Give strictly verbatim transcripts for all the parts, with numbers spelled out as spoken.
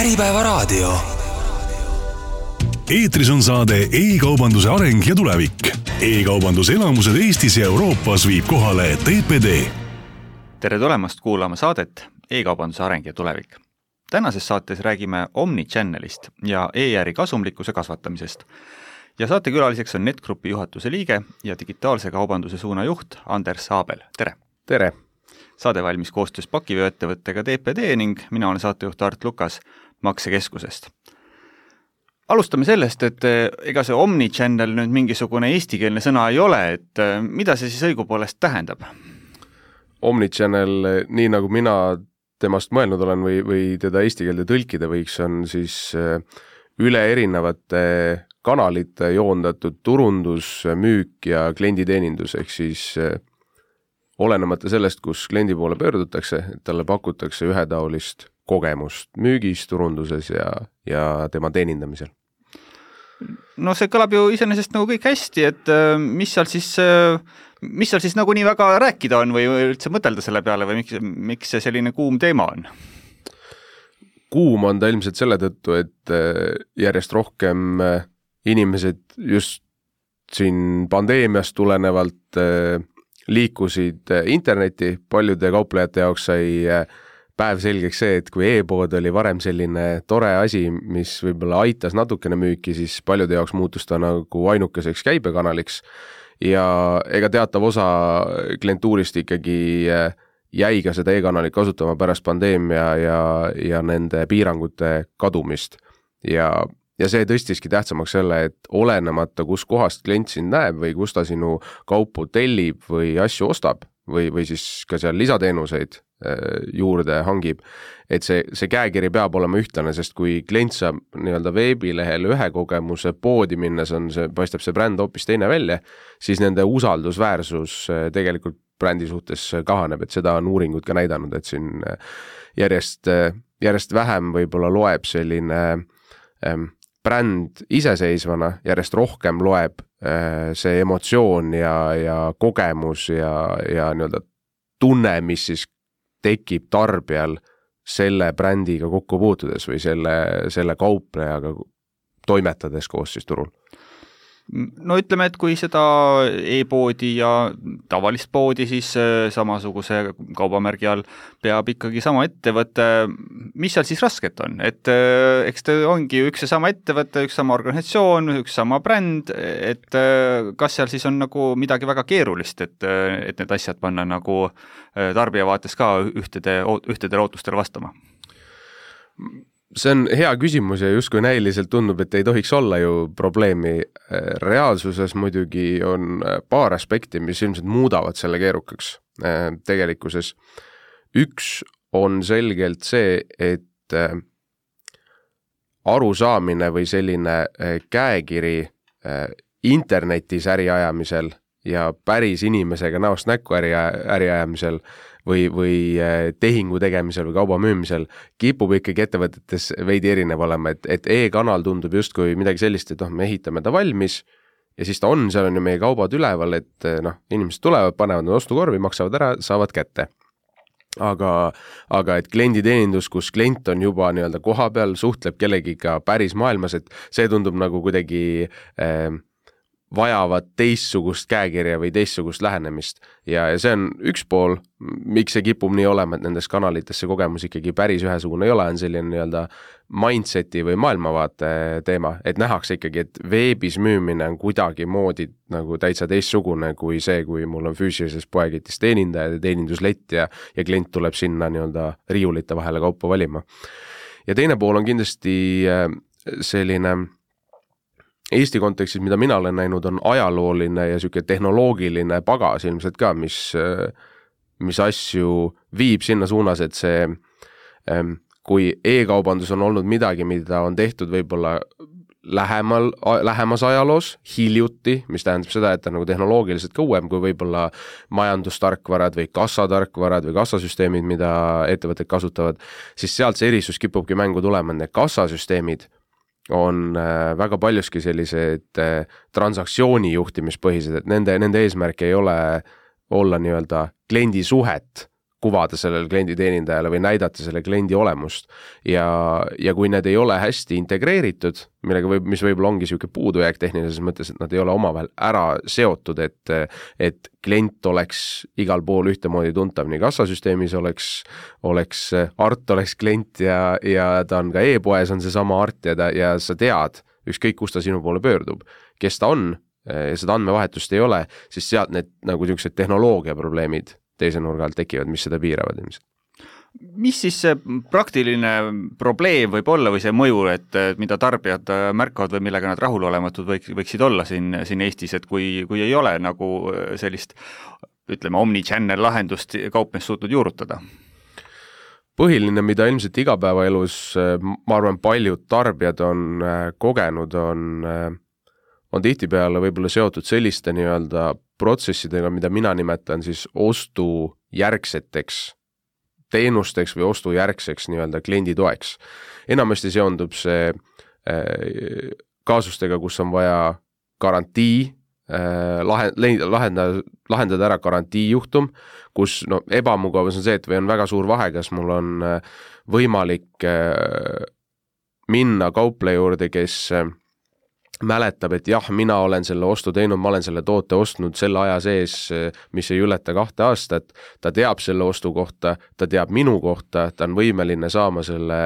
Äripäevaraadio. Eetris on saade e-kaubanduse areng ja tulevik. E-kaubanduse elamused Eestis ja Euroopas viib kohale T P D. Tere tulemast kuulama saadet E-kaubanduse areng ja tulevik. Tänases saates räägime Omnichannelist ja e-äri kasumlikkuse kasvatamisest. Ja saate külaliseks on NetGroupi juhatuse liige ja digitaalse kaubanduse suunajuht Anders Saabel. Tere! Tere! Saade valmis koostöös pakivööettevõttega T P D ning mina olen saatejuht Art Lukas Maksekeskusest. Alustame sellest, et ega see Omnichannel nüüd mingisugune eestikeelne sõna ei ole, et mida see siis õigupoolest tähendab? Omnichannel, nii nagu mina temast mõelnud olen või, või teda eesti keelde tõlkida võiks, on siis üle erinevate kanalite joondatud turundus, müük ja klienditeenindus, ehk siis olenemata sellest, kus kliendi poole pöördutakse, et talle pakutakse ühetaolist kogemust müügis, turunduses ja, ja tema teenindamisel. No see kõlab ju iseenesest nagu kõik hästi, et mis seal siis, mis seal siis nagu nii väga rääkida on või üldse mõtelda selle peale või miks, miks see selline kuum teema on? Kuum on ta ilmselt selle tõttu, et järjest rohkem inimesed just siin pandeemiast tulenevalt liikusid interneti, paljude kauplejate jaoks sai päev selgeks see, et kui e-pood oli varem selline tore asi, mis võib-olla aitas natukene müüki, siis paljude jaoks muutus ta nagu ainukeseks käibekanaliks ja ega teatav osa klientuurist ikkagi jäi ka seda e-kanalit kasutama pärast pandeemia ja, ja nende piirangute kadumist ja Ja see tõstiski tähtsamaks selle, et olenemata, kus kohast klient sind näeb või kus ta sinu kaupu tellib või asju ostab või, või siis ka seal lisateenuseid juurde hangib, et see, see käekiri peab olema ühtlane, sest kui klient saab nii-öelda veebilehel ühe kogemuse poodi minnes, on see, paistab see bränd hoopis teine välja, siis nende usaldusväärsus tegelikult brändi suhtes kahaneb, et seda on uuringud ka näidanud, et siin järjest, järjest vähem võib-olla loeb selline ähm, bränd iseseisvana, järjest rohkem loeb see emotsioon ja, ja kogemus ja, ja nii-öelda tunne, mis siis tekib tarbijal selle brändiga kokku puutudes või selle, selle kauplejaga toimetades koos siis turul. No ütleme, et kui seda e-poodi ja tavalist poodi siis samasuguse kaubamärgi all peab ikkagi sama ettevõte, mis seal siis rasket on? Et eks te ongi üks ja sama ettevõte, üks sama organisatsioon, üks sama bränd, et kas seal siis on nagu midagi väga keerulist, et, et need asjad panna nagu tarbija vaates ka ühtede, ühtedele ootustele vastama? See on hea küsimus ja justkui näiliselt tundub, et ei tohiks olla ju probleemi. Reaalsuses muidugi on paar aspekti, mis ilmselt muudavad selle keerukaks tegelikkuses. Üks on selgelt see, et arusaamine või selline käekiri internetis äriajamisel ja päris inimesega näost näkku äri, äriajamisel või, või tehingu tegemisel või kauba müümisel kipub ikkagi ettevõtetes veidi erinev olema, et, et e-kanal tundub justkui midagi sellist, et noh, me ehitame ta valmis ja siis ta on, seal on ju meie kaubad üleval, et noh, inimesed tulevad, panevad nad ostukorvi, maksavad ära, saavad kätte. Aga, aga et klienditeenindus, kus klient on juba nii-öelda koha peal, suhtleb kellegiga päris maailmas, et see tundub nagu kuidagi eh, vajavad teistsugust käekirja või teistsugust lähenemist. Ja, ja see on üks pool, miks see kipub nii olema, et nendes kanalites see kogemus ikkagi päris ühesugune ei ole, on selline nii-öelda mindseti või maailmavaate teema, et nähakse ikkagi, et veebis müümine on kuidagi moodi nagu täitsa teistsugune kui see, kui mul on füüsilises poeketis teenindaja ja teeninduslett ja, ja klient tuleb sinna nii-öelda riiulite vahele kaupa valima. Ja teine pool on kindlasti selline Eesti kontekstis, mida mina olen näinud, on ajalooline ja selline tehnoloogiline pagas ilmselt ka, mis, mis asju viib sinna suunas, et see, kui e-kaubandus on olnud midagi, mida on tehtud võib-olla lähemal, lähemas ajaloos, hiljuti, mis tähendab seda, et ta nagu tehnoloogiliselt kauem kui võib-olla majandustarkvarad või kassatarkvarad või kassasüsteemid, mida ettevõtted kasutavad, siis sealt see erisus kipubki mängu tulema, need kassasüsteemid on väga paljuski sellised transaktsiooni juhtimispõhised, et nende, nende eesmärk ei ole olla nii-öelda kliendi suhet kuvada sellele klienditeenindajale või näidata selle kliendi olemust ja, ja kui need ei ole hästi integreeritud, millega võib, mis võib-olla ongi niisugune puudujääk tehnilises mõttes, et nad ei ole omavahel ära seotud, et, et klient oleks igal pool ühtemoodi tuntav, nii kassasüsteemis oleks, oleks Art oleks klient ja, ja ta on ka e-poes on seesama Art ja, ta, ja sa tead, ükskõik kus ta sinu poole pöördub, kes ta on ja seda andmevahetust ei ole, siis sealt need nagu niisugused tehnoloogia probleemid teise nurga alt tekivad, mis seda piiravad ilmselt. Mis siis see praktiline probleem võib olla või see mõju, et mida tarbijad märkavad või millega nad rahulolematud võik, võiksid olla siin, siin Eestis, et kui, kui ei ole nagu sellist, ütleme, omnichannel lahendust kaupmees suutnud juurutada? Põhiline, mida ilmselt igapäevaelus, ma arvan, paljud tarbijad on kogenud, on, on tihtipeale võib-olla seotud selliste nii-öelda protsessidega, mida mina nimetan siis ostujärgseteks teenusteks või ostujärgseks nii-öelda kliendi toeks. Enamasti seondub see äh, kaasustega, kus on vaja garantii, äh, lahendada, lahendada ära garantiijuhtum, kus no, ebamugavus on see, et või on väga suur vahe, kas mul on äh, võimalik äh, minna kaupleja juurde, kes äh, mäletab, et jah, mina olen selle ostu teinud, ma olen selle toote ostnud selle aja sees, mis ei ületa kahte aastat, ta teab selle ostu kohta, ta teab minu kohta, ta on võimeline saama selle,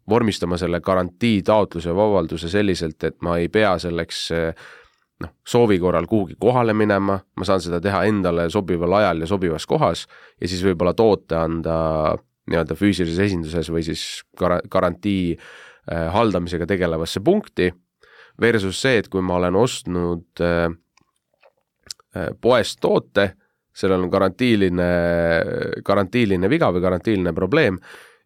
vormistama selle garantii taotluse vabalduse selliselt, et ma ei pea selleks noh, soovi korral kuhugi kohale minema, ma saan seda teha endale sobival ajal ja sobivas kohas ja siis võib-olla toote anda nii-öelda füüsilises esinduses või siis gar- garantii äh, haldamisega tegelevasse punkti, versus see, et kui ma olen ostnud äh, poest toote, sellel on garantiiline, garantiiline viga või garantiiline probleem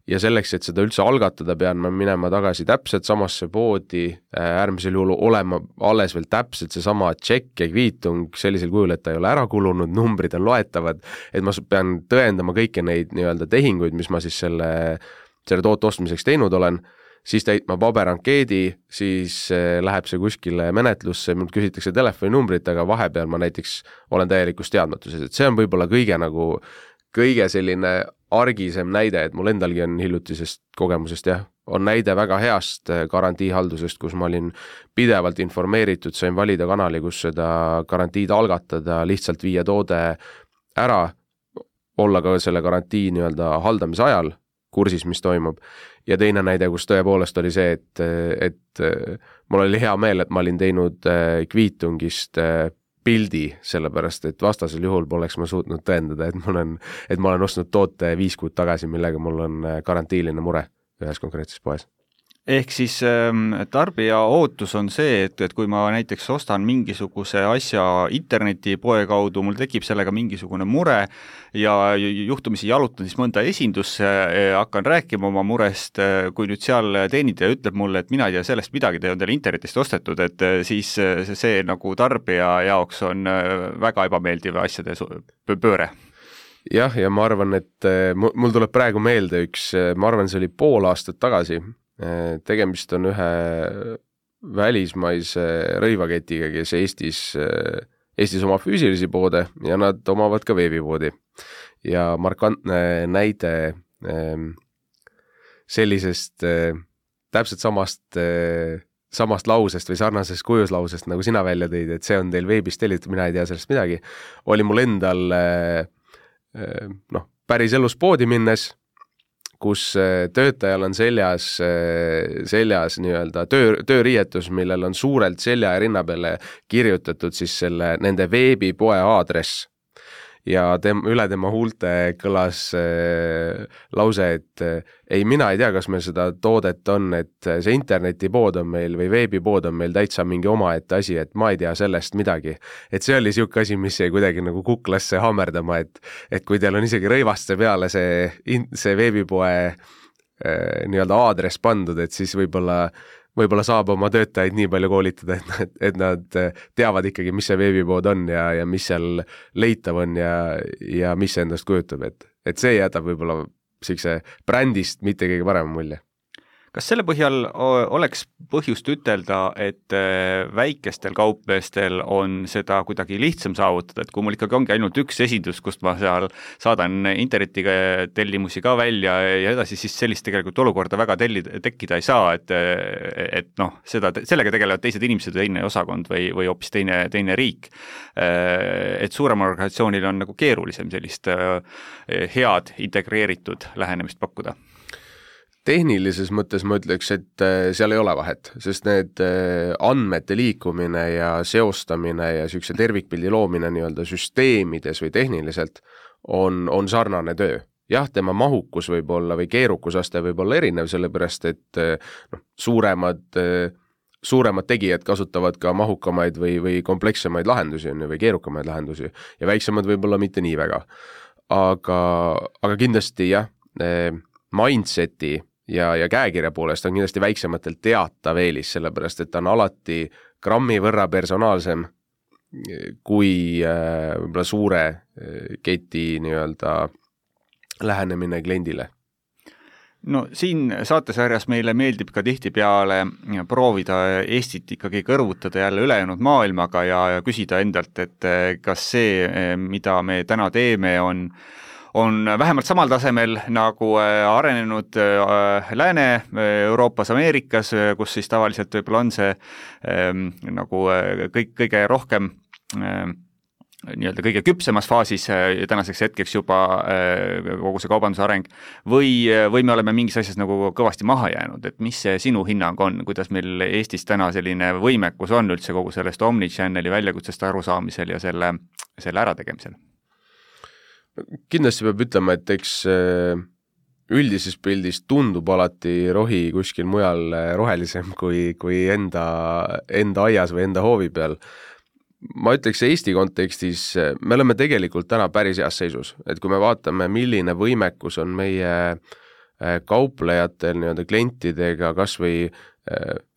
ja selleks, et seda üldse algatada, pean ma minema tagasi täpselt samasse poodi, äärmisel juhul olema alles veel täpselt seesama tšekk ja kviitung sellisel kujul, et ta ei ole ära kulunud, numbrid on loetavad, et ma pean tõendama kõiki neid nii-öelda tehinguid, mis ma siis selle, selle toote ostmiseks teinud olen, siis täitma paberankeedi, siis läheb see kuskile menetlusse, mult küsitakse telefoninumbrit, aga vahepeal ma näiteks olen täielikus teadmatuses, et see on võib-olla kõige nagu, kõige selline argisem näide, et mul endalgi on hiljutisest kogemusest, jah, on näide väga heast garantiihaldusest, kus ma olin pidevalt informeeritud, sain valida kanali, kus seda garantiid algatada, lihtsalt viia toode ära, olla ka selle garantii nii-öelda haldamise ajal, kursis, mis toimub. Ja teine näide, kus tõepoolest oli see, et, et mul oli hea meel, et ma olin teinud kviitungist pildi, sellepärast, et vastasel juhul poleks ma suutnud tõendada, et, mul on, et ma olen ostnud toote viis kuud tagasi, millega mul on garantiiline mure ühes konkreetses poes. Ehk siis tarbija ootus on see, et, et kui ma näiteks ostan mingisuguse asja internetipoe kaudu, mul tekib sellega mingisugune mure ja juhtumisi jalutan siis mõnda esindusse, hakkan rääkima oma murest, kui nüüd seal teenindaja ütleb mulle, et mina ei tea sellest midagi, te on teil internetist ostetud, et siis see nagu tarbija jaoks on väga ebameeldiv asjade pööre. Jah, ja ma arvan, et mul tuleb praegu meelde üks, ma arvan, see oli pool aastat tagasi, tegemist on ühe välismaise rõivaketiga, kes Eestis, Eestis omab füüsilisi poode ja nad omavad ka veebipoodi. Ja markantne näide sellisest täpselt samast, samast lausest või sarnasest kujuslausest, nagu sina välja tõid, et see on teil veebist tellitud, mina ei tea sellest midagi, oli mul endal noh, päris elus poodi minnes, kus töötajal on seljas, seljas nii-öelda töö, tööriietus, millel on suurelt selja ja rinna peale kirjutatud siis selle, nende veebipoe aadress. Ja tem, üle tema huulte kõlas äh, lause, et äh, ei, mina ei tea, kas meil seda toodet on, et see internetipood on meil või veebipood on meil täitsa mingi omaette asi, et ma ei tea sellest midagi. Et see oli siuke asi, mis jäi kuidagi nagu kuklasse hammerdama, et, et kui teil on isegi rõivaste peale see, see veebipoe äh, nii-öelda aadress pandud, et siis võib-olla võib-olla saab oma töötajaid nii palju koolitada, et nad, et nad teavad ikkagi, mis see veebipood on ja, ja mis seal leitav on ja, ja mis see endast kujutab, et, et see jätab võib-olla siukse brändist mitte kõige parema mulje. kas selle põhjal oleks põhjust ütelda, et väikestel kaupmeestel on seda kuidagi lihtsam saavutada, et kui mul ikkagi ongi ainult üks esindus, kust ma seal saadan internetiga tellimusi ka välja ja edasi, siis sellist tegelikult olukorda väga telli, tekkida ei saa, et, et noh, seda, sellega tegelevad teised inimesed, teine osakond või, või hoopis teine, teine riik. Et suuremal organisatsioonil on nagu keerulisem sellist head integreeritud lähenemist pakkuda. Tehnilises mõttes ma ütleks, et seal ei ole vahet, sest need andmete liikumine ja seostamine ja niisuguse tervikpildi loomine nii-öelda süsteemides või tehniliselt on, on sarnane töö. Jah, tema mahukus võib olla või keerukusaste võib olla erinev, sellepärast et noh, suuremad, suuremad tegijad kasutavad ka mahukamaid või, või komplekssemaid lahendusi või keerukamaid lahendusi ja väiksemad võib-olla mitte nii väga. Aga, aga kindlasti jah, mindseti ja, ja käekirja poolest on kindlasti väiksematelt teatav eelis, sellepärast et ta on alati grammi võrra personaalsem kui äh, võib-olla suure keti nii-öelda lähenemine kliendile. No siin saatesarjas meile meeldib ka tihtipeale proovida Eestit ikkagi kõrvutada jälle ülejäänud maailmaga ja, ja küsida endalt, et kas see, mida me täna teeme, on on vähemalt samal tasemel nagu arenenud Lääne-Euroopas, Ameerikas, kus siis tavaliselt võib-olla on see ähm, nagu kõik, kõige rohkem ähm, nii-öelda kõige küpsemas faasis tänaseks hetkeks juba kogu see kaubanduse areng või, või me oleme mingis asjas nagu kõvasti maha jäänud, et mis see sinu hinnang on, kuidas meil Eestis täna selline võimekus on üldse kogu sellest omnichanneli väljakutsest arusaamisel ja selle, selle ärategemisel? Kindlasti peab ütlema, et eks üldises pildis tundub alati rohi kuskil mujal rohelisem kui, kui enda, enda aias või enda hoovi peal. Ma ütleks Eesti kontekstis, me oleme tegelikult täna päris heas seisus, et kui me vaatame, milline võimekus on meie kauplejatel nii-öelda klientidega kas või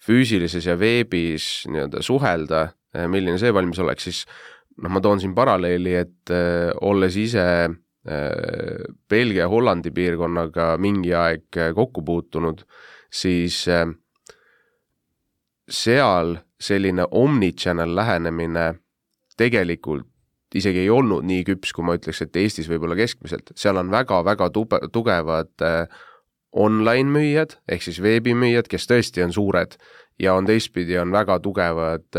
füüsilises ja veebis nii-öelda suhelda, milline see valmis oleks, siis noh, ma toon siin paralleeli, et äh, olles ise äh, Belgia ja Hollandi piirkonnaga mingi aeg kokku puutunud, siis äh, seal selline omnichannel lähenemine tegelikult isegi ei olnud nii küps, kui ma ütleks, et Eestis võib olla keskmiselt. Seal on väga-väga tube, tugevad äh, online müüjad, ehk siis veebimüüjad, kes tõesti on suured, ja on teistpidi on väga tugevad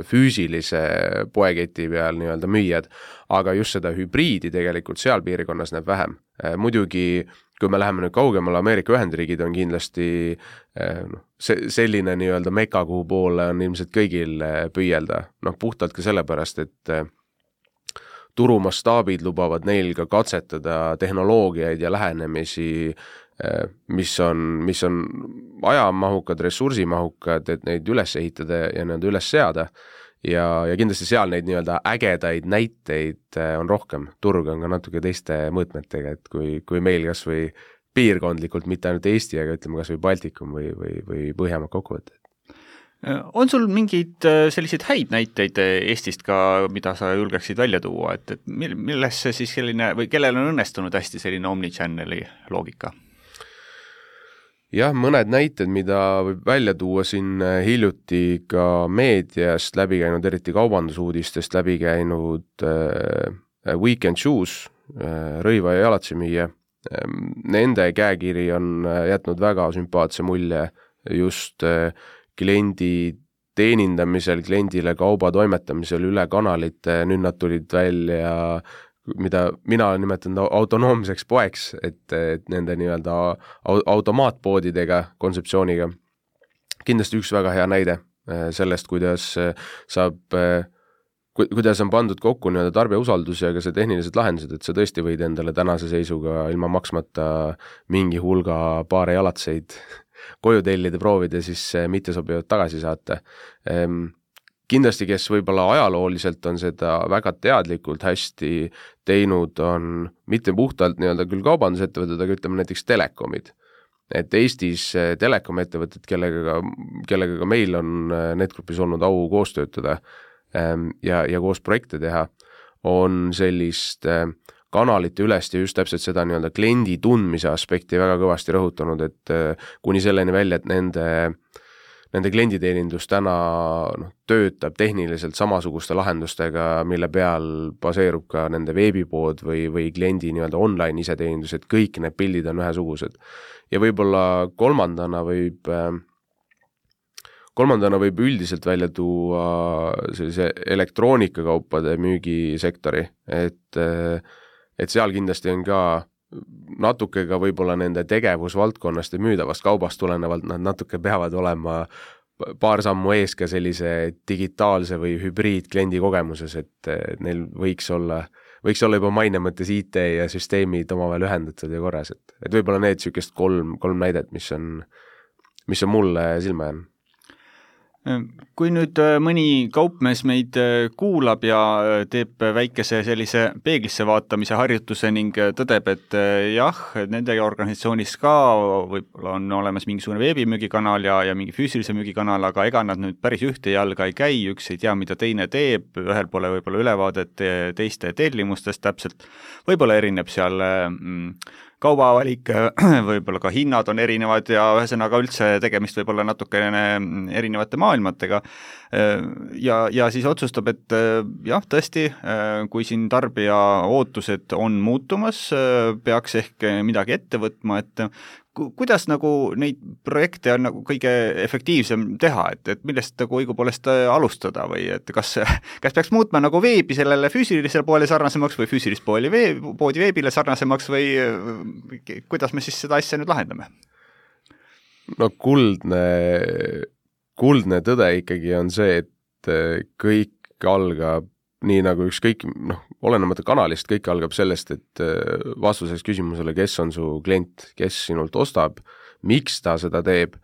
füüsilise poeketi peal nii-öelda müüjad, aga just seda hübriidi tegelikult seal piirkonnas näeb vähem. Muidugi, kui me läheme nüüd kaugemale, Ameerika Ühendriigid on kindlasti no, selline nii-öelda meka, kuhu poole on ilmselt kõigil püüelda. Noh, puhtalt ka sellepärast, et turumastaabid lubavad neil ka katsetada tehnoloogiaid ja lähenemisi, mis on, mis on ajamahukad, ressursimahukad, et neid üles ehitada ja need üles seada. Ja, ja kindlasti seal neid nii-öelda ägedaid näiteid on rohkem. Turg on ka natuke teiste mõõtmetega, et kui, kui meil kas või piirkondlikult, mitte ainult Eesti, aga ütleme kas või Baltikum või, või, või Põhjamaad kokkuvõtted. On sul mingid selliseid häid näiteid Eestist ka, mida sa julgeksid välja tuua, et, et milles see siis selline, või kellel on õnnestunud hästi selline omnichanneli loogika? Jah, mõned näited, mida võib välja tuua siin hiljuti ka meediast läbi käinud, eriti kaubandusuudistest läbi käinud äh, Weekend Shoes, äh, rõiva ja jalatsimüüja. Nende käekiri on jätnud väga sümpaatse mulje just äh, kliendi teenindamisel, kliendile kauba toimetamisel üle kanalite, nüüd nad tulid välja, mida mina olen nimetanud autonoomseks poeks, et, et nende nii-öelda automaatpoodidega, kontseptsiooniga. Kindlasti üks väga hea näide sellest, kuidas saab, kuidas on pandud kokku nii-öelda tarbija usaldus ja ka see tehnilised lahendused, et sa tõesti võid endale tänase seisuga ilma maksmata mingi hulga paare jalatseid koju tellida, proovida, siis mitte sobivad tagasi saata. Kindlasti, kes võib-olla ajalooliselt on seda väga teadlikult hästi teinud, on mitte puhtalt nii-öelda küll kaubandusettevõtted, aga ütleme näiteks telekomid. Et Eestis telekomettevõtted, kellega, kellega ka meil on Netgrupis olnud au koos töötada ja, ja koos projekte teha, on sellist kanalite ülest ja just täpselt seda nii-öelda kliendi tundmise aspekti väga kõvasti rõhutanud, et kuni selleni välja, et nende Nende klienditeenindus täna noh, töötab tehniliselt samasuguste lahendustega, mille peal baseerub ka nende veebipood või, või kliendi nii-öelda online iseteenindus, et kõik need pildid on ühesugused. Ja võib-olla kolmandana võib, kolmandana võib üldiselt välja tuua sellise elektroonikakaupade müügisektori, et, et seal kindlasti on ka natuke ka võib-olla nende tegevusvaldkonnast ja müüdavast kaubast tulenevalt nad natuke peavad olema paar sammu ees ka sellise digitaalse või hübriid kliendi kogemuses, et neil võiks olla, võiks olla juba maine mõttes I T ja süsteemid omavahel ühendatud ja korras, et, et võib-olla need sükest kolm, kolm näidet, mis on, mis on mulle silma jäänud. Kui nüüd mõni kaupmees meid kuulab ja teeb väikese sellise peeglisse vaatamise harjutuse ning tõdeb, et jah, nende organisatsioonis ka võib-olla on olemas mingisugune veebimüügikanal ja, ja mingi füüsilise müügikanal, aga ega nad nüüd päris ühte jalga ei käi, üks ei tea, mida teine teeb, ühel pole võib-olla ülevaadet teiste tellimustest täpselt, võib-olla erineb seal mm, kaubavalik, võib-olla ka hinnad on erinevad ja ühesõnaga üldse tegemist võib-olla natukene erinevate maailmatega ja, ja siis otsustab, et jah, tõesti, kui siin tarbija ootused on muutumas, peaks ehk midagi ette võtma, et kuidas nagu neid projekte on nagu kõige efektiivsem teha, et, et millest nagu õigupoolest alustada või et kas, kas peaks muutma nagu veebi sellele füüsilisele poole sarnasemaks või füüsilist pooli veeb, poodi veebile sarnasemaks või kuidas me siis seda asja nüüd lahendame? No kuldne, kuldne tõde ikkagi on see, et kõik algab nii nagu ükskõik, noh, olenemata kanalist, kõik algab sellest, et vastuseks küsimusele, kes on su klient, kes sinult ostab, miks ta seda teeb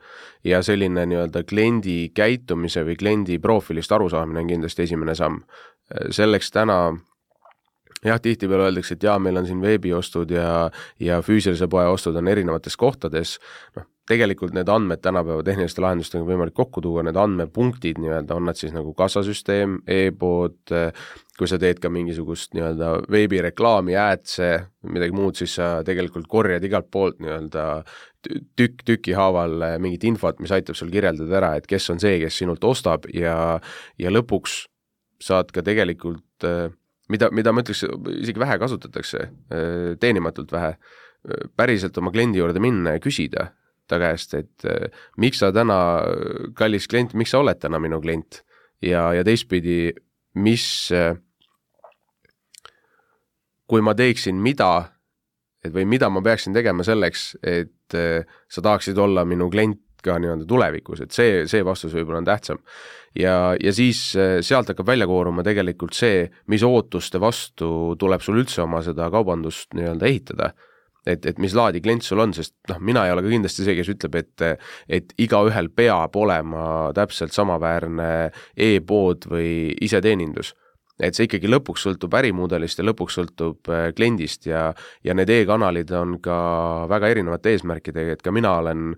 ja selline nii-öelda kliendi käitumise või kliendi profiilist arusaamine on kindlasti esimene samm. Selleks täna jah, tihtipeale öeldakse, et jaa, meil on siin veebiostud ja, ja füüsilise poe ostud on erinevates kohtades, noh, tegelikult need andmed tänapäeva tehniliste lahendustega võimalik kokku tuua, need andmepunktid nii-öelda, on nad siis nagu kassasüsteem, e-pood, kui sa teed ka mingisugust nii-öelda veebireklaami, äädse, midagi muud, siis sa tegelikult korjad igalt poolt nii-öelda tükk tüki haaval mingit infot, mis aitab sul kirjeldada ära, et kes on see, kes sinult ostab ja, ja lõpuks saad ka tegelikult, mida, mida ma ütleks, isegi vähe kasutatakse, teenimatult vähe, päriselt oma kliendi juurde minna ja küsida ta käest, et miks sa täna, kallis klient, miks sa oled täna minu klient ja, ja teistpidi, mis, kui ma teeksin mida, et või mida ma peaksin tegema selleks, et sa tahaksid olla minu klient ka nii-öelda tulevikus, et see, see vastus võib-olla on tähtsam. Ja, ja siis sealt hakkab välja kooruma tegelikult see, mis ootuste vastu tuleb sul üldse oma seda kaubandust nii-öelda ehitada. Et, et mis laadi klient sul on, sest noh, mina ei ole ka kindlasti see, kes ütleb, et, et igaühel peab olema täpselt samaväärne e-pood või iseteenindus. Et see ikkagi lõpuks sõltub ärimudelist ja lõpuks sõltub kliendist ja, ja need e-kanalid on ka väga erinevate eesmärkidega, et ka mina olen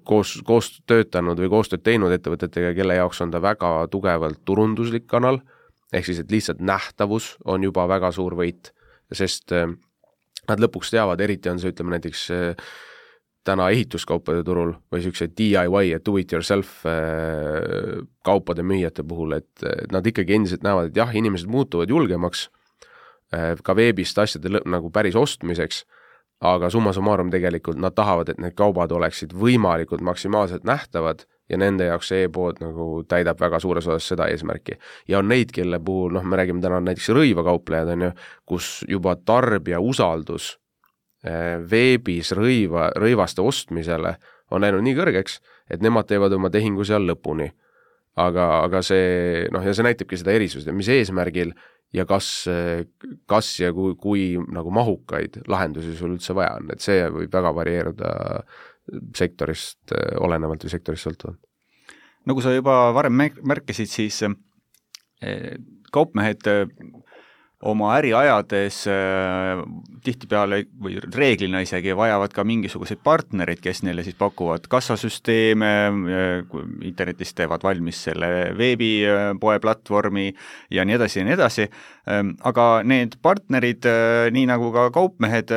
koos, koos töötanud või koostööd teinud ettevõtetega, kelle jaoks on ta väga tugevalt turunduslik kanal, ehk siis, et lihtsalt nähtavus on juba väga suur võit, sest nad lõpuks teavad, eriti on see, ütleme näiteks täna ehituskaupade turul või sellised D I Y, do it yourself kaupade müüjate puhul, et nad ikkagi endiselt näevad, et jah, inimesed muutuvad julgemaks ka veebist asjade nagu päris ostmiseks, aga summa summarum tegelikult nad tahavad, et need kaubad oleksid võimalikult maksimaalselt nähtavad ja nende jaoks see e-pood nagu täidab väga suures osas seda eesmärki. Ja on neid, kelle puhul, noh, me räägime täna näiteks rõivakauplejad, on ju, kus juba tarbija usaldus veebis rõiva, rõivaste ostmisele on läinud nii kõrgeks, et nemad teevad oma tehingu seal lõpuni. Aga, aga see, noh, ja see näitabki seda erisust, mis eesmärgil ja kas, kas ja kui, kui nagu mahukaid lahendusi sul üldse vaja on, et see võib väga varieeruda sektorist olenevalt või sektorist sõltuvalt. Nagu sa juba varem märkisid, siis kaupmehed oma äri ajades tihtipeale või reeglina isegi vajavad ka mingisuguseid partnerid, kes neile siis pakuvad kassasüsteeme, internetis teevad valmis selle veebipoe platvormi ja nii edasi ja nii edasi, aga need partnerid, nii nagu ka kaupmehed,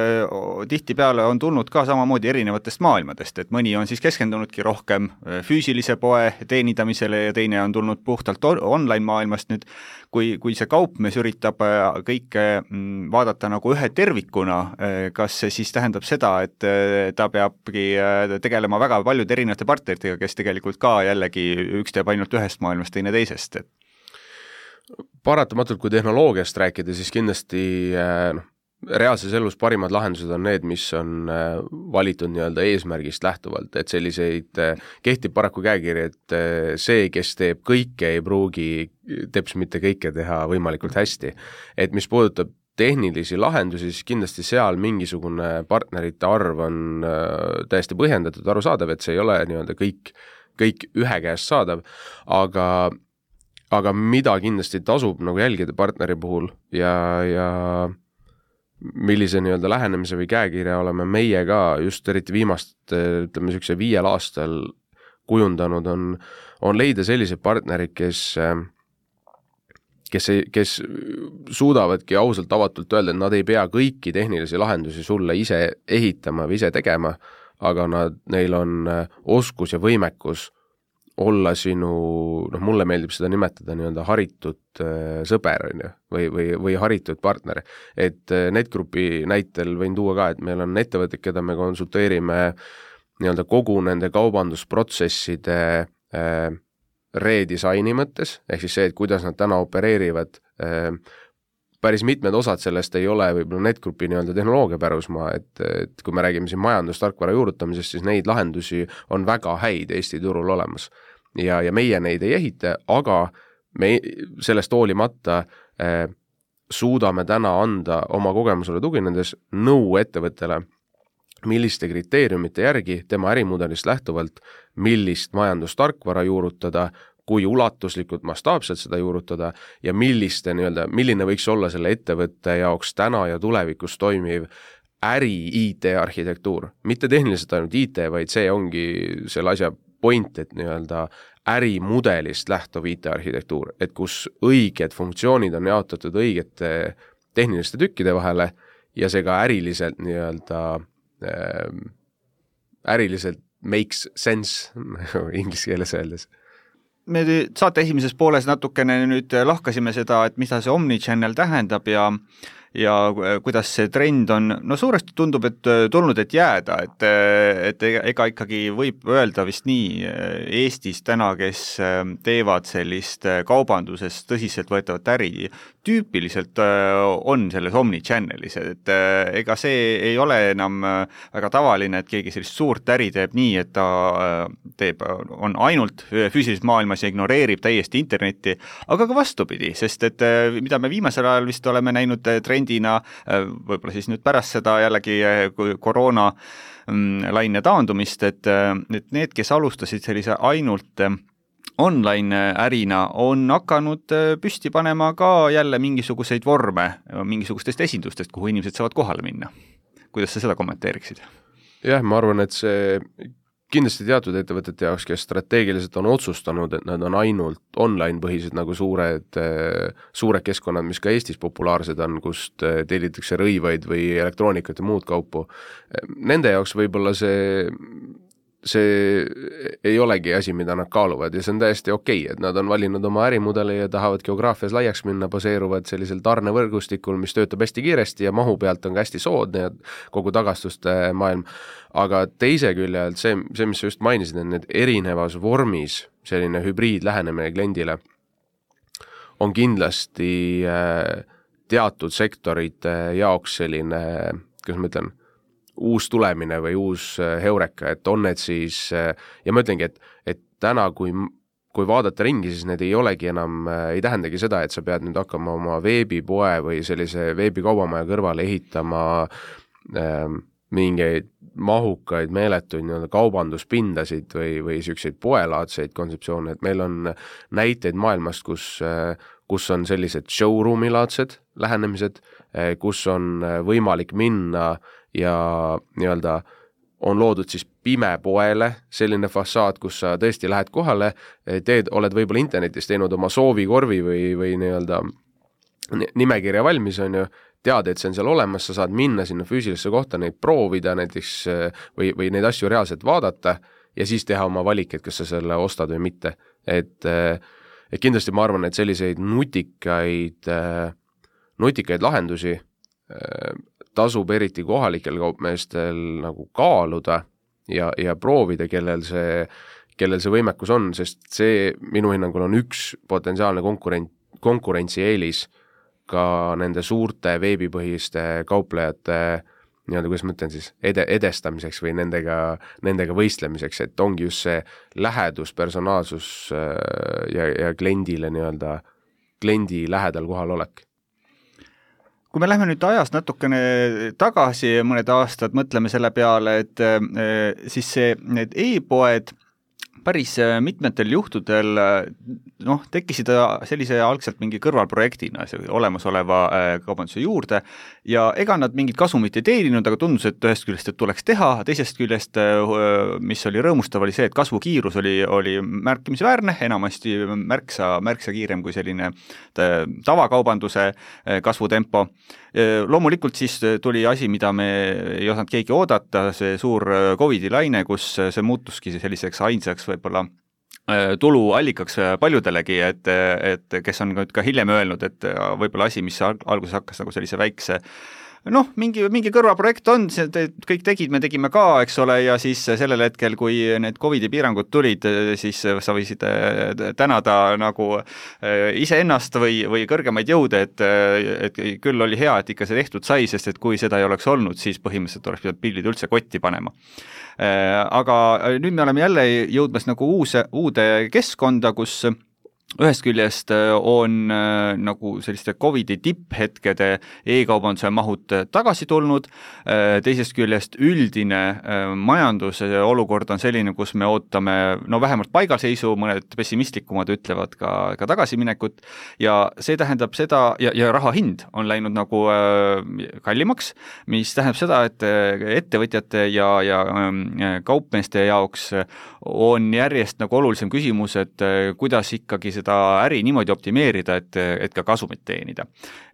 tihtipeale on tulnud ka samamoodi erinevatest maailmadest, et mõni on siis keskendunudki rohkem füüsilise poe teenindamisele ja teine on tulnud puhtalt online maailmast. Nüüd, kui, kui see kaupmees üritab kõike vaadata nagu ühe tervikuna, kas see siis tähendab seda, et ta peabki tegelema väga paljude erinevate partneritega, kes tegelikult ka jällegi üks teeb ainult ühest maailmast, teine teisest? Paratamatult, kui tehnoloogiast rääkida, siis kindlasti no, reaalses elus parimad lahendused on need, mis on valitud nii-öelda eesmärgist lähtuvalt, et selliseid kehtib paraku käekiri, et see, kes teeb kõike, ei pruugi teps mitte kõike teha võimalikult hästi. Et mis puudutab tehnilisi lahendusi, siis kindlasti seal mingisugune partnerite arv on täiesti põhjendatud, arusaadav, et see ei ole nii-öelda kõik, kõik ühe käest saadav, aga aga mida kindlasti tasub nagu jälgida partneri puhul ja, ja millise nii-öelda lähenemise või käekirja oleme meie ka just eriti viimast, ütleme niisuguse viiel aastal kujundanud, on, on leida sellised partnerid, kes, kes, kes suudavadki ausalt avatult öelda, et nad ei pea kõiki tehnilisi lahendusi sulle ise ehitama või ise tegema, aga nad, neil on oskus ja võimekus olla sinu, noh mulle meeldib seda nimetada nii-öelda haritud äh, sõber on ju, või, või, või haritud partner. Et äh, NetGroupi näitel võin tuua ka, et meil on ettevõtted, keda me konsulteerime nii-öelda kogu nende kaubandusprotsesside äh, redisaini mõttes, ehk siis see, et kuidas nad täna opereerivad, äh, päris mitmed osad sellest ei ole võib-olla NetGroupi nii-öelda tehnoloogia pärusmaa, et, et kui me räägime siin majandustarkvara juurutamisest, siis neid lahendusi on väga häid Eesti turul olemas. Ja, ja meie neid ei ehita, aga me sellest hoolimata eh, suudame täna anda oma kogemusele tuginedes nõu ettevõttele, milliste kriteeriumite järgi tema ärimudelist lähtuvalt, millist majandustarkvara juurutada, kui ulatuslikult mastaapselt seda juurutada ja milliste, nii-öelda, milline võiks olla selle ettevõtte jaoks täna ja tulevikus toimiv äri I T-arhitektuur. Mitte tehniliselt ainult I T, vaid see ongi selle asja point, et nii-öelda ärimudelist lähtuv I T-arhitektuur, et kus õiged funktsioonid on jaotatud õigete tehniliste tükkide vahele ja see ka äriliselt nii-öelda äh, äriliselt makes sense inglise keeles öeldes. Me saate esimeses pooles natukene nüüd lahkasime seda, et mida see omnichannel tähendab ja ja kuidas see trend on, no suuresti tundub, et tulnud, et jääda, et, et ega ikkagi võib öelda vist nii Eestis täna, kes teevad sellist kaubanduses tõsiselt võetavat äri, tüüpiliselt on selles omnichannelis, et ega see ei ole enam väga tavaline, et keegi sellist suurt äri teeb nii, et ta teeb, on ainult füüsilises maailmas ja ignoreerib täiesti internetti, aga ka vastupidi, sest et mida me viimasel ajal vist oleme näinud trend võib-olla siis nüüd pärast seda jällegi koroona laine taandumist, et, et need, kes alustasid sellise ainult online ärina, on hakanud püsti panema ka jälle mingisuguseid vorme mingisugustest esindustest, kuhu inimesed saavad kohale minna. Kuidas sa seda kommenteeriksid? Jah, ma arvan, et see kindlasti teatud ettevõtete jaoks, kes strateegiliselt on otsustanud, et nad on ainult online-põhised nagu suured, suured keskkonnad, mis ka Eestis populaarsed on, kust tellitakse rõivaid või elektroonikat ja muud kaupu. Nende jaoks võib-olla see, see ei olegi asi, mida nad kaaluvad ja see on täiesti okei, et nad on valinud oma ärimudeli ja tahavad geograafias laiaks minna, baseeruvad sellisel tarnevõrgustikul, mis töötab hästi kiiresti ja mahu pealt on hästi soodne ja kogu tagastuste maailm. Aga teise küljelt see, see, mis sa just mainisid, et need erinevas vormis selline hübriid lähenemine kliendile on kindlasti teatud sektorite jaoks selline, kuidas ma ütlen, uus tulemine või uus heureka, et on need siis, ja ma ütlengi, et, et täna, kui, kui vaadata ringi, siis need ei olegi enam, ei tähendagi seda, et sa pead nüüd hakkama oma veebipoe või sellise veebikaubamaja kõrvale ehitama ähm, mingeid mahukaid meeletuid nii-öelda kaubanduspindasid või, või selliseid poelaadseid kontseptsioone, et meil on näiteid maailmast, kus, kus on sellised showroom-ilaadsed lähenemised, kus on võimalik minna ja nii-öelda on loodud siis pimepoele selline fassaad, kus sa tõesti lähed kohale, teed, oled võib-olla internetis teinud oma soovikorvi või, või nii-öelda nimekirja valmis, on ju, tead, et see on seal olemas, sa saad minna sinna füüsilisse kohta, neid proovida näiteks või, või neid asju reaalselt vaadata ja siis teha oma valik, et kas sa selle ostad või mitte. Et, et kindlasti ma arvan, et selliseid nutikaid, nutikaid lahendusi tasub eriti kohalikel kaupmeestel nagu kaaluda ja, ja proovida, kellel see, kellel see võimekus on, sest see minu hinnangul on üks potentsiaalne konkurent, konkurentsieelis ka nende suurte veebipõhiste kauplejate nii-öelda, kuidas ma ütlen siis, ede, edestamiseks või nendega, nendega võistlemiseks, et ongi just see lähedus, personaalsus ja, ja kliendile nii-öelda, kliendi lähedal kohal olek. Kui me lähme nüüd ajast natukene tagasi mõned aastad, mõtleme selle peale, et siis see, need e-poed päris mitmetel juhtudel noh, tekkisid sellise algselt mingi kõrvalprojektina olemasoleva kaubanduse juurde ja ega nad mingit kasumit ei teeninud, aga tundus, et ühest küljest, et tuleks teha, teisest küljest, mis oli rõõmustav, oli see, et kasvukiirus oli, oli märkimisväärne, enamasti märksa, märksa kiirem kui selline tavakaubanduse kasvutempo. Loomulikult siis tuli asi, mida me ei osanud keegi oodata, see suur Covidi laine, kus see muutuski selliseks ainsaks võib-olla tuluallikaks paljudelegi, et, et kes on ka hiljem öelnud, et võib-olla asi, mis alguses hakkas nagu sellise väikse noh, mingi, mingi kõrvaprojekt on, kõik tegid, me tegime ka, eks ole, ja siis sellel hetkel, kui need Covidi piirangud tulid, siis sa võisid tänada nagu iseennast või, või kõrgemaid jõude, et, et küll oli hea, et ikka see tehtud sai, sest et kui seda ei oleks olnud, siis põhimõtteliselt oleks pidanud pillid üldse kotti panema. Aga nüüd me oleme jälle jõudmas nagu uuse, uude keskkonda, kus ühest küljest on nagu selliste Covidi tipphetkede e-kaubanduse mahud tagasi tulnud, teisest küljest üldine majanduse olukord on selline, kus me ootame no vähemalt paigalseisu, mõned pessimistlikumad ütlevad ka, ka tagasiminekut ja see tähendab seda, ja, ja raha hind on läinud nagu kallimaks, mis tähendab seda, et ettevõtjate ja, ja kaupmeeste jaoks on järjest nagu olulisem küsimus, et kuidas ikkagi seda äri niimoodi optimeerida, et, et ka kasumit teenida.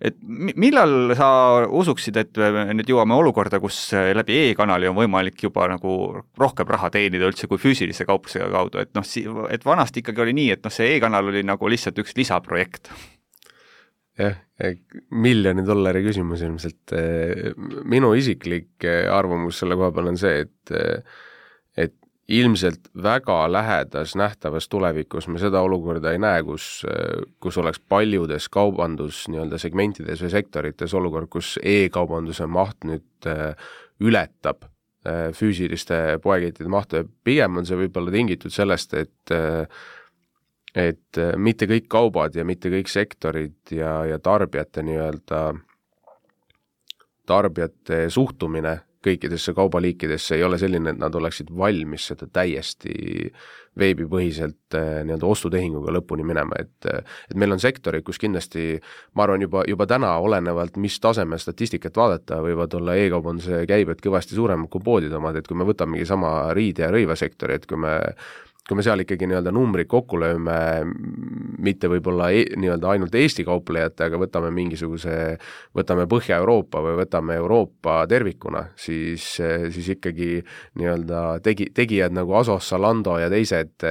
Et millal sa usuksid, et nüüd jõuame olukorda, kus läbi e-kanali on võimalik juba nagu rohkem raha teenida üldse kui füüsilise kauplusega kaudu, et noh, et vanasti ikkagi oli nii, et noh, see e-kanal oli nagu lihtsalt üks lisaprojekt. Jah, miljoni dollari küsimus ilmselt. Minu isiklik arvamus selle koha peal on see, et, et ilmselt väga lähedas nähtavas tulevikus me seda olukorda ei näe, kus, kus oleks paljudes kaubandus nii-öelda segmentides või sektorites olukord, kus e-kaubanduse maht nüüd ületab füüsiliste poekettide mahtu ja pigem on see võib-olla tingitud sellest, et, et mitte kõik kaubad ja mitte kõik sektorid ja, ja tarbijate nii-öelda tarbijate suhtumine kõikidesse kaubaliikidesse ei ole selline, et nad oleksid valmis seda täiesti veebipõhiselt nii-öelda ostutehinguga lõpuni minema, et, et meil on sektorid, kus kindlasti, ma arvan, juba, juba täna olenevalt, mis taseme statistikat vaadata, võivad olla e-kaubanduse käibed kõvasti suuremad kui poodide omad, et kui me võtamegi sama riide- ja rõivasektori, et kui me kui me seal ikkagi nii-öelda numbrid kokku lööme, mitte võib-olla e, nii-öelda ainult Eesti kauplejate, aga võtame mingisuguse, võtame Põhja-Euroopa või võtame Euroopa tervikuna, siis, siis ikkagi nii-öelda tegi, tegijad nagu Asos, Zalando ja teised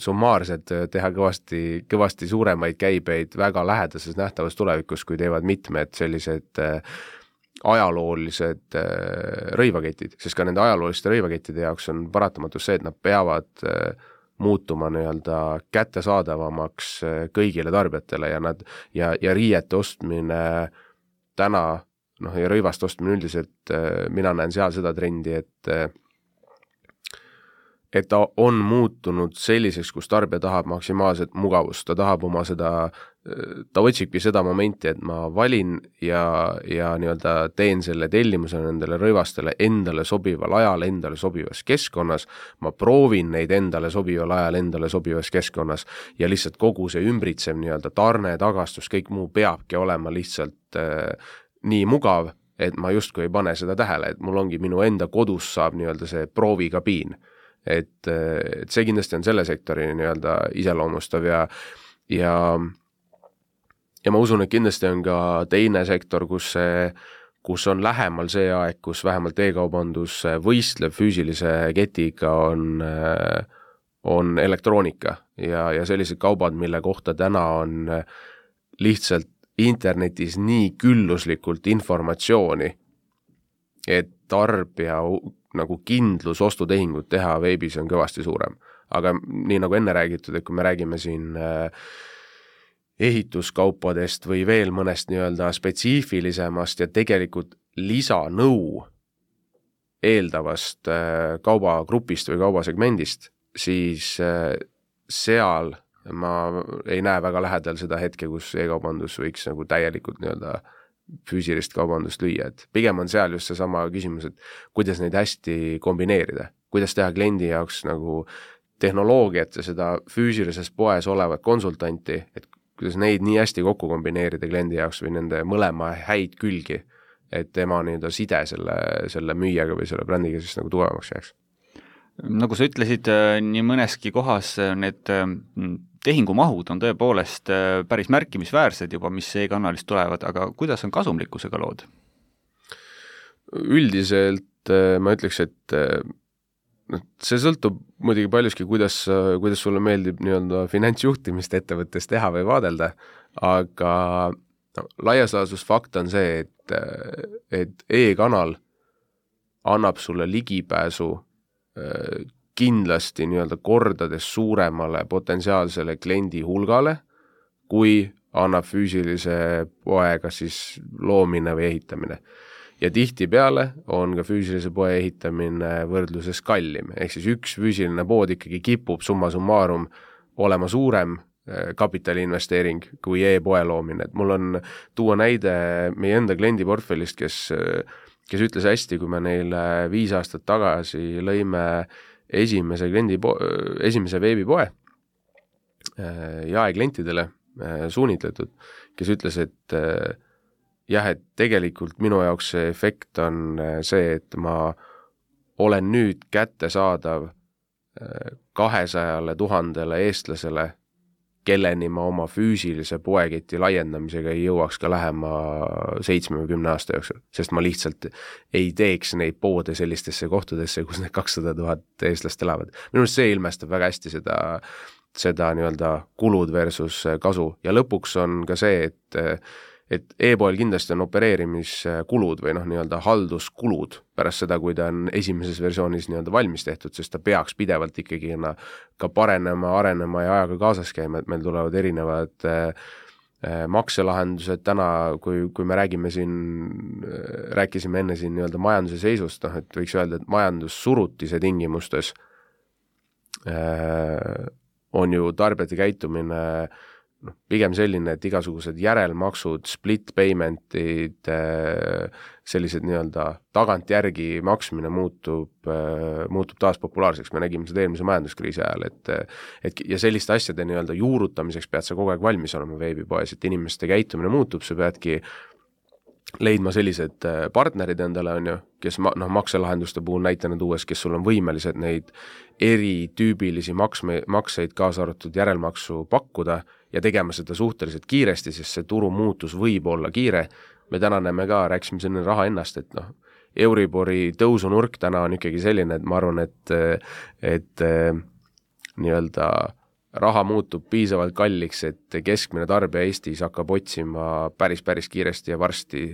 summaarsed teha kõvasti, kõvasti suuremaid käibeid väga lähedases nähtavas tulevikus, kui teevad mitmed sellised ajaloolised rõivaketid, sest ka nende ajalooliste rõivakettide jaoks on paratamatus see, et nad peavad muutuma nii-öelda kättesaadavamaks kõigile tarbijatele ja nad ja, ja riiete ostmine täna, noh ja rõivast ostmine üldiselt, mina näen seal seda trendi, et et ta on muutunud selliseks, kus tarbija tahab maksimaalset mugavust, ta tahab oma seda, ta otsibki seda momenti, et ma valin ja, ja nii-öelda teen selle tellimuse nendele rõivastele endale sobival ajal, endale sobivas keskkonnas, ma proovin neid endale sobival ajal, endale sobivas keskkonnas ja lihtsalt kogu see ümbritsev nii-öelda tarne, tagastus, kõik muu peabki olema lihtsalt äh, nii mugav, et ma justkui ei pane seda tähele, et mul ongi minu enda kodus saab nii-öelda see proovikabiin. Et, et see kindlasti on selle sektori nii-öelda iseloomustav ja, ja, ja ma usun, et kindlasti on ka teine sektor, kus, see, kus on lähemal see aeg, kus vähemalt e-kaubandus võistleb füüsilise ketiga on, on elektroonika ja, ja sellised kaubad, mille kohta täna on lihtsalt internetis nii külluslikult informatsiooni, et tarbija nagu kindlus ostutehingut teha veebis on kõvasti suurem. Aga nii nagu enne räägitud, et kui me räägime siin ehituskaupadest või veel mõnest nii-öelda spetsiifilisemast ja tegelikult lisanõu eeldavast kaubagrupist või kaubasegmendist, siis seal ma ei näe väga lähedal seda hetke, kus e-kaubandus võiks nagu täielikult nii-öelda füüsilist kaubandust lüüa, et pigem on seal just see sama küsimus, et kuidas neid hästi kombineerida, kuidas teha kliendi jaoks nagu tehnoloogiat ja seda füüsilises poes olevat konsultanti, et kuidas neid nii hästi kokku kombineerida kliendi jaoks või nende mõlema häid külgi, et tema nii-öelda side selle, selle müüjaga või selle brändiga siis nagu tugevamaks jääks. Nagu sa ütlesid, nii mõneski kohas need tehingumahud on tõepoolest päris märkimisväärsed juba, mis e-kanalist tulevad, aga kuidas on kasumlikkusega lood? Üldiselt ma ütleks, et see sõltub muidugi paljuski, kuidas, kuidas sulle meeldib nii-öelda finantsjuhtimist ettevõttes teha või vaadelda, aga no, laias laastus fakt on see, et, et e-kanal annab sulle ligipääsu kindlasti nii-öelda kordades suuremale potentsiaalsele kliendi hulgale, kui annab füüsilise poega siis loomine või ehitamine. Ja tihti peale on ka füüsilise poe ehitamine võrdluses kallim, ehk siis üks füüsiline pood ikkagi kipub summa summarum olema suurem kapitaliinvesteering kui e-poe loomine. Et mul on tuua näide meie enda kliendi portfellist, kes kes ütles hästi, kui me neile viis aastat tagasi lõime esimese kliendi po-, esimese veebipoe jaeklientidele suunitletud, kes ütles, et jah, et tegelikult minu jaoks see efekt on see, et ma olen nüüd kättesaadav kahesajale tuhandele eestlasele, kelleni ma oma füüsilise poeketi laiendamisega ei jõuaks ka lähema seitsmekümne aasta jooksul, sest ma lihtsalt ei teeks neid poode sellistesse kohtadesse, kus need kakssada tuhat eestlast elavad. Minu arust see ilmestab väga hästi seda, seda nii-öelda kulud versus kasu ja lõpuks on ka see, et et e-poel kindlasti on opereerimiskulud või noh, nii-öelda halduskulud pärast seda, kui ta on esimeses versioonis nii-öelda valmis tehtud, sest ta peaks pidevalt ikkagi ka parenema, arenema ja ajaga kaasas käima, et meil tulevad erinevad äh, makselahendused täna, kui, kui me räägime siin, rääkisime enne siin nii-öelda majanduse seisust, noh, et võiks öelda, et majandussurutise tingimustes äh, on ju tarbijate käitumine No, pigem selline, et igasugused järelmaksud, split paymentid, sellised nii-öelda tagantjärgi maksmine muutub, muutub taas populaarseks. Me nägime seda eelmise majanduskriisi ajal, et, et ja selliste asjade nii-öelda juurutamiseks pead sa kogu aeg valmis olema veebipoes, et inimeste käitumine muutub, sa peadki leidma sellised partnerid endale, on ju, kes ma, no, makselahenduste puhul näitena tuues, kes sul on võimelised neid eritüübilisi maksme, makseid kaasa arvatud järelmaksu pakkuda ja tegema seda suhteliselt kiiresti, sest see turu muutus võib olla kiire. Me täna näeme ka, rääkisime selle raha ennast, et noh, Euribori tõusunurk täna on ikkagi selline, et ma arvan, et, et nii-öelda raha muutub piisavalt kalliks, et keskmine tarbija Eestis hakkab otsima päris, päris kiiresti ja varsti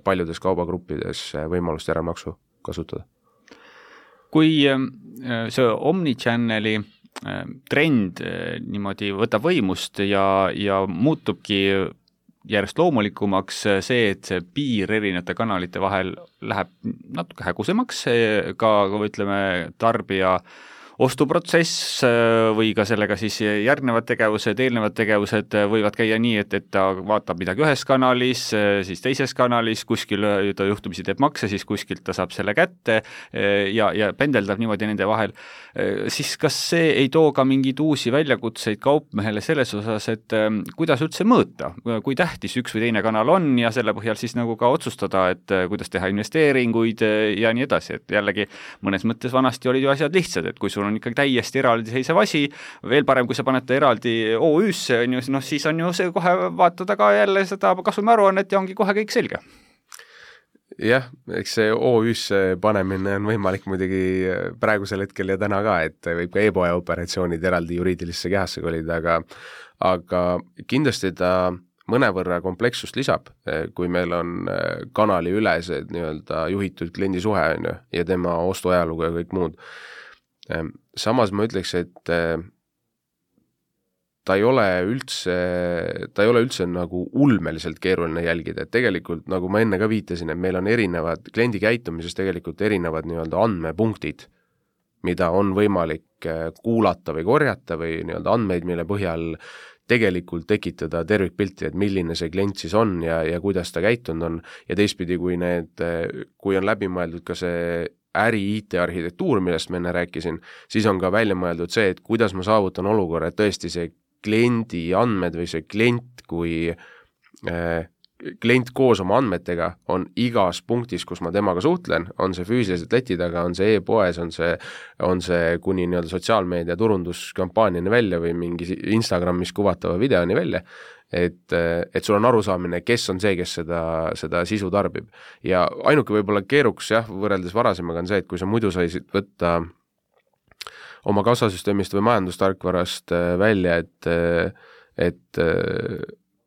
paljudes kaubagruppides võimalust järelmaksu kasutada. Kui see Omnichanneli trend niimoodi võtab võimust ja, ja muutubki järjest loomulikumaks see, et see piir erinevate kanalite vahel läheb natuke hägusemaks, ka ütleme tarbija ostuprotsess või ka sellega siis järgnevad tegevused, eelnevad tegevused võivad käia nii, et, et ta vaatab midagi ühes kanalis, siis teises kanalis, kuskil ta juhtumisi teeb makse, siis kuskilt ta saab selle kätte ja, ja pendeldab niimoodi nende vahel. Siis kas see ei too ka mingeid uusi väljakutseid kaupmehele selles osas, et kuidas üldse mõõta, kui tähtis üks või teine kanal on ja selle põhjal siis nagu ka otsustada, et kuidas teha investeeringuid ja nii edasi, et jällegi mõnes mõttes vanasti olid ju asjad lihtsad, et kui sul on ikkagi täiesti eraldiseisev asi, veel parem, kui sa paned ta eraldi O Ü-sse, on ju, no siis on ju see kohe vaatada ka jälle seda kasumi aruannet ja ongi kohe kõik selge. Jah, eks see O Ü-sse panemine on võimalik muidugi praegusel hetkel ja täna ka, et võib ka e-poe operatsioonid eraldi juriidilisse kehasse kolida, aga, aga kindlasti ta mõnevõrra komplekssust lisab, kui meil on kanali üles nii-öelda juhitud kliendi suhe on ju, ja tema ostuajalugu ja kõik muud. Samas ma ütleks, et ta ei ole üldse, ta ei ole üldse nagu ulmeliselt keeruline jälgida, et tegelikult, nagu ma enne ka viitasin, et meil on erinevad, kliendi käitumises tegelikult erinevad nii-öelda andmepunktid, mida on võimalik kuulata või korjata või nii-öelda andmeid, mille põhjal tegelikult tekitada tervikpilti, et milline see klient siis on ja, ja kuidas ta käitunud on ja teistpidi, kui need, kui on läbi mõeldud ka see äri I T-arhitektuur, millest ma enne rääkisin, siis on ka välja mõeldud see, et kuidas ma saavutan olukorra, et tõesti see kliendi andmed või see klient kui äh, klient koos oma andmetega on igas punktis, kus ma temaga suhtlen, on see füüsiliselt leti taga, on see e-poes, on see, on see kuni nii-öelda sotsiaalmeedia turunduskampaaniani välja või mingi Instagramis kuvatava videoni välja, et, et sul on arusaamine, kes on see, kes seda, seda sisu tarbib. Ja ainuke võib-olla keeruks jah, võrreldes varasemaga on see, et kui sa muidu saisid võtta oma kassasüsteemist või majandustarkvarast välja, et, et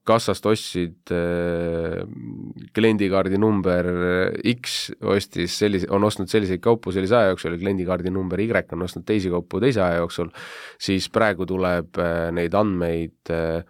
kassast ostsid äh, kliendikaardi number X ostis sellise, on ostnud selliseid kaupu sellise aja jooksul ja kliendikaardi number Y on ostnud teisi kaupu teise aja jooksul, siis praegu tuleb äh, neid andmeid äh,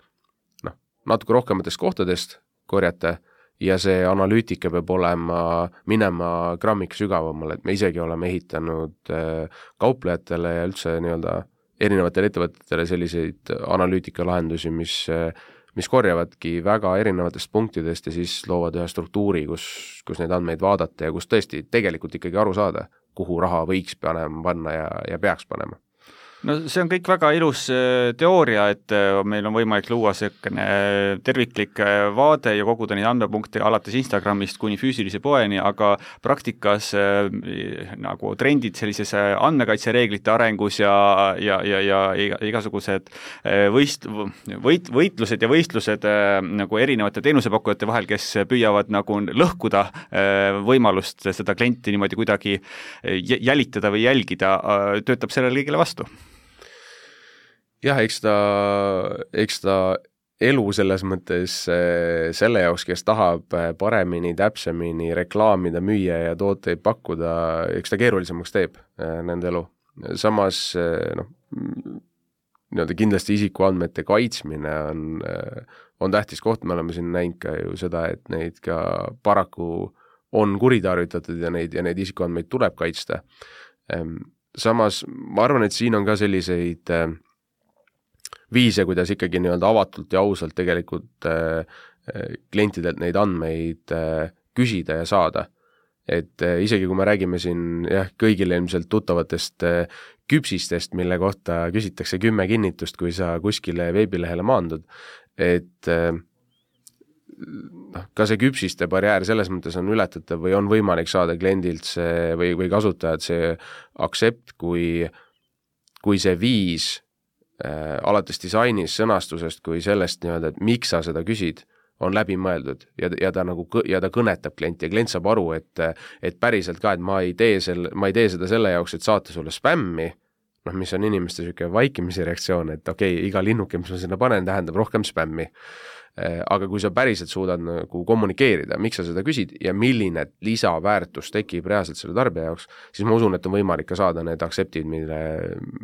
noh, natuke rohkematest kohtadest korjata ja see analüütika peab olema, minema grammik sügavamale, et me isegi oleme ehitanud äh, kauplejatele ja üldse nii-öelda erinevatele ettevõtetele selliseid analüütikalahendusi, mis äh, mis korjavadki väga erinevatest punktidest ja siis loovad ühe struktuuri, kus, kus neid andmeid vaadata ja kus tõesti tegelikult ikkagi aru saada, kuhu raha võiks panema, panna ja, ja peaks panema. No see on kõik väga ilus teooria, et meil on võimalik luua selline terviklik vaade ja koguda neid andmepunkte alates Instagramist kuni füüsilise poeni, aga praktikas nagu trendid sellises andmekaitsereeglite arengus ja, ja, ja, ja igasugused võist, võit, võitlused ja võistlused nagu erinevate teenusepakkujate vahel, kes püüavad nagu lõhkuda võimalust seda klienti niimoodi kuidagi jälitada või jälgida, töötab sellele kõigile vastu. Jah, eks ta, eks ta elu selles mõttes selle jaoks, kes tahab paremini, täpsemini reklaamida, müüa ja tooteid pakkuda, eks ta keerulisemaks teeb nende elu. Samas noh, nii-öelda kindlasti isikuandmete kaitsmine on, on tähtis koht, me oleme siin näinud ka ju seda, et neid ka paraku on kuritarvitatud ja neid, ja neid isikuandmeid tuleb kaitsta. Samas ma arvan, et siin on ka selliseid viise, kuidas ikkagi nii-öelda avatult ja ausalt tegelikult äh, klientidelt neid andmeid äh, küsida ja saada. Et äh, isegi kui me räägime siin jah, kõigile ilmselt tuttavatest äh, küpsistest, mille kohta küsitakse kümme kinnitust, kui sa kuskile veebilehele maandud, et äh, ka see küpsiste barjäär selles mõttes on ületatav või on võimalik saada kliendilt see või, või kasutajad see aksept, kui, kui see viis Äh, alates disainis, sõnastusest kui sellest nii-öelda, et miks sa seda küsid, on läbi mõeldud ja, ja, ta nagu, ja ta kõnetab klienti ja klient saab aru, et, et päriselt ka, et ma ei tee, selle, ma ei tee seda selle jaoks, et saata sulle spämmi, noh, mis on inimeste niisugune vaikimise reaktsioon, et okei, okay, iga linnuke, mis ma sinna panen, tähendab rohkem spämmi. Aga kui sa päriselt suudad nagu kommunikeerida, miks sa seda küsid ja milline lisaväärtus tekib reaalselt selle tarbija jaoks, siis ma usun, et on võimalik ka saada need akseptid, mille,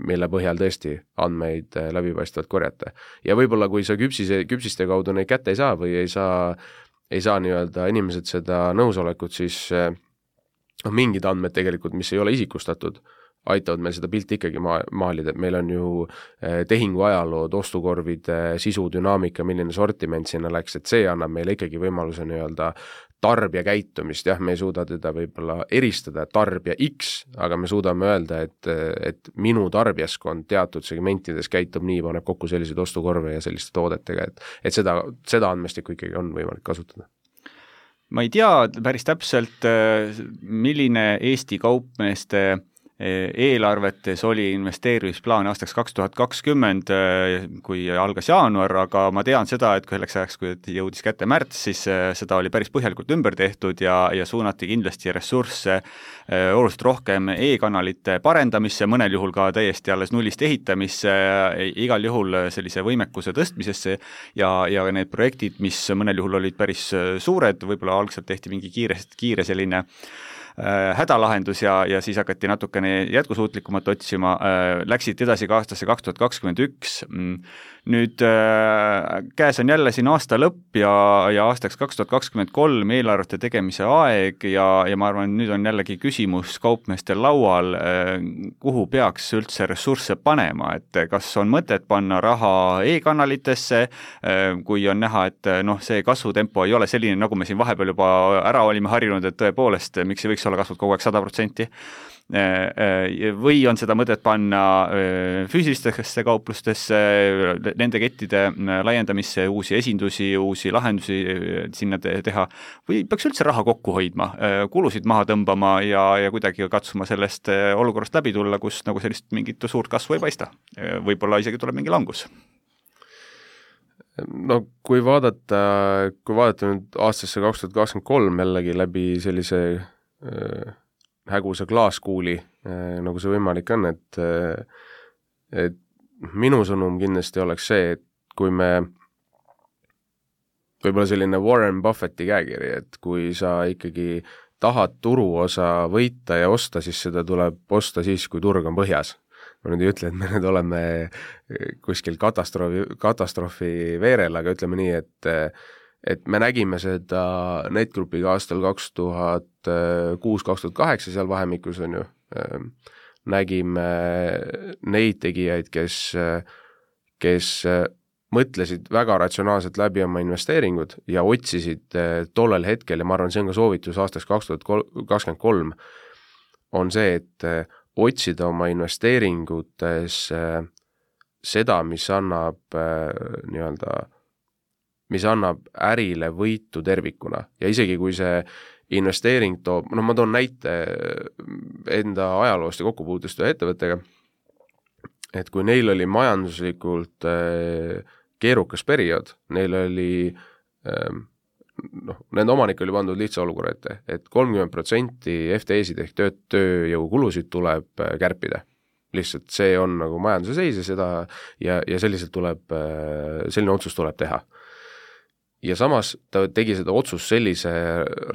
mille põhjal tõesti andmeid läbipaistvalt korjata. Ja võib-olla kui sa küpsise, küpsiste kaudu neid kätte ei saa või ei saa, ei saa nii-öelda inimesed seda nõusolekut, siis no, mingid andmed tegelikult, mis ei ole isikustatud, aitavad meil seda pilti ikkagi ma maalida, et meil on ju tehingu ajalood, ostukorvide sisu, dünaamika, milline sortiment sinna läks, et see annab meile ikkagi võimaluse nii-öelda tarbija käitumist, jah, me ei suuda teda võib-olla eristada tarbija X, aga me suudame öelda, et, et minu tarbijaskond teatud segmentides käitub nii, paneb kokku selliseid ostukorve ja selliste toodetega, et, et seda, seda andmestikku ikkagi on võimalik kasutada. Ma ei tea päris täpselt, milline Eesti kaupmeeste eelarvetes oli investeerimisplaan aastaks kaks tuhat kakskümmend, kui algas jaanuar, aga ma tean seda, et kui selleks ajaks, kui jõudis kätte märts, siis seda oli päris põhjalikult ümber tehtud ja, ja suunati kindlasti ressursse oluliselt rohkem e-kanalite parendamisse, mõnel juhul ka täiesti alles nullist ehitamisse, igal juhul sellise võimekuse tõstmisesse ja, ja need projektid, mis mõnel juhul olid päris suured, võib-olla algselt tehti mingi kiire, kiire selline hädalahendus ja, ja siis hakati natukene jätkusuutlikumat otsima, läksid edasi ka aastasse kaks tuhat kakskümmend üks. Nüüd käes on jälle siin aasta lõpp ja, ja aastaks kaks tuhat kakskümmend kolm eelarvete tegemise aeg ja, ja ma arvan, nüüd on jällegi küsimus kaupmeestel laual, kuhu peaks üldse ressursse panema, et kas on mõtet panna raha e-kanalitesse, kui on näha, et noh, see kasvutempo ei ole selline, nagu me siin vahepeal juba ära olime harjunud, et tõepoolest, miks ei võiks olla kasvud kogu aeg sada protsenti. Või on seda mõtet panna füüsilistesse kauplustesse, nende kettide laiendamisse, uusi esindusi, uusi lahendusi sinna teha, või peaks üldse raha kokku hoidma, kulusid maha tõmbama ja, ja kuidagi katsuma sellest olukorrast läbi tulla, kus nagu sellist mingit suurt kasvu ei paista. Võib-olla isegi tuleb mingi langus. No kui vaadata, kui vaadata nüüd aastasse kaks tuhat kakskümmend kolm jällegi läbi sellise äh, hägusa klaaskuuli, äh, nagu see võimalik on, et, äh, et minu sõnum kindlasti oleks see, et kui me võib-olla selline Warren Buffetti käekiri, et kui sa ikkagi tahad turuosa võita ja osta, siis seda tuleb osta siis, kui turg on põhjas. Ma nüüd ei ütle, et me nüüd oleme kuskil katastroofi, katastroofi veerel, aga ütleme nii, et, et me nägime seda Netgroupiga aastal kaks tuhat kuus kaks tuhat kaheksa seal vahemikus on ju, nägime neid tegijaid, kes, kes mõtlesid väga ratsionaalselt läbi oma investeeringud ja otsisid tollel hetkel, ja ma arvan, see on ka soovitus aastaks kaks tuhat kakskümmend kolm, on see, et otsida oma investeeringutes seda, mis annab nii-öelda, mis annab ärile võitu tervikuna. Ja isegi kui see investeering toob, no ma toon näite enda ajaloost ja kokkupuutust ühe ettevõttega, et kui neil oli majanduslikult keerukas periood, neil oli noh, nende omanik oli pandud lihtsa olukorra ette, et kolmkümmend protsenti F T E-sid ehk tööd, tööjõukulusid tuleb kärpida. Lihtsalt see on nagu majanduse seis ja seda ja, ja selliselt tuleb, selline otsus tuleb teha. Ja samas ta tegi seda otsus sellise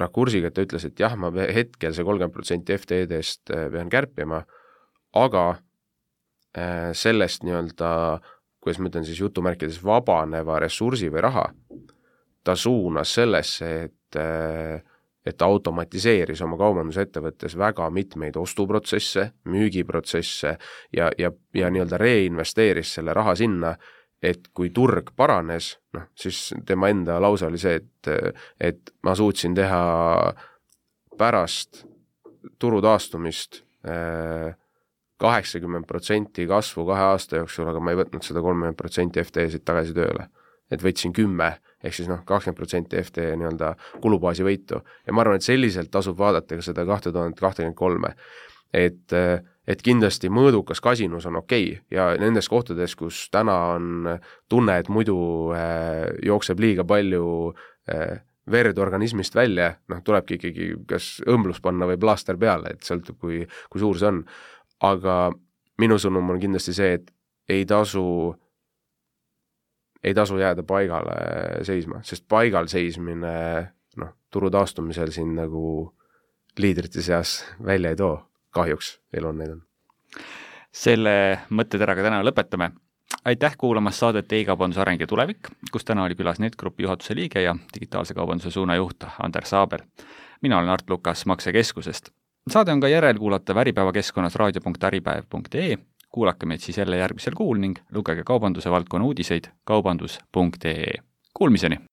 rakursiga, et ta ütles, et jah, ma hetkel see kolmkümmend protsenti F T E-dest pean kärpima, aga sellest nii-öelda, kuidas ma ütlen siis jutumärkides, vabaneva ressursi või raha, ta suunas sellesse, et, et ta automatiseeris oma kaubandusettevõttes väga mitmeid ostuprotsesse, müügiprotsesse ja, ja, ja nii-öelda reinvesteeris selle raha sinna, et kui turg paranes, noh, siis tema enda lause oli see, et, et ma suutsin teha pärast turu taastumist kaheksakümmend protsenti kasvu kahe aasta jooksul, aga ma ei võtnud seda kolmkümmend protsenti F T E-sid tagasi tööle. Et võtsin kümme, ehk siis noh, kakskümmend protsenti F T E nii-öelda kulubaasi võitu. Ja ma arvan, et selliselt tasub vaadata ka seda kaks tuhat kakskümmend kolm. Et, et kindlasti mõõdukas kasinus on okei okay. Ja nendes kohtades, kus täna on tunne, et muidu äh, jookseb liiga palju äh, verd organismist välja, noh, tulebki ikkagi kas õmblus panna või plaaster peale, et sõltub, kui, kui suur see on. Aga minu sõnum on kindlasti see, et ei tasu ei tasu jääda paigale seisma, sest paigal seismine noh, turu taastumisel siin nagu liidrite seas välja ei too. Kahjuks elu on neid on. Selle mõtteteraga täna lõpetame. Aitäh kuulamas saadet e-kaubanduse areng ja tulevik, kus täna oli külas Netgroupi juhatuse liige ja digitaalse kaubanduse suunajuht Ander Saaber. Mina olen Art Lukas Maksekeskusest. saade on ka järelkuulatav Äripäeva keskkonnas raadio punkt äripäev punkt ee. Kuulake meid siis jälle järgmisel kuul ning lugege kaubanduse valdkonna uudiseid kaubandus punkt ee. Kuulmiseni!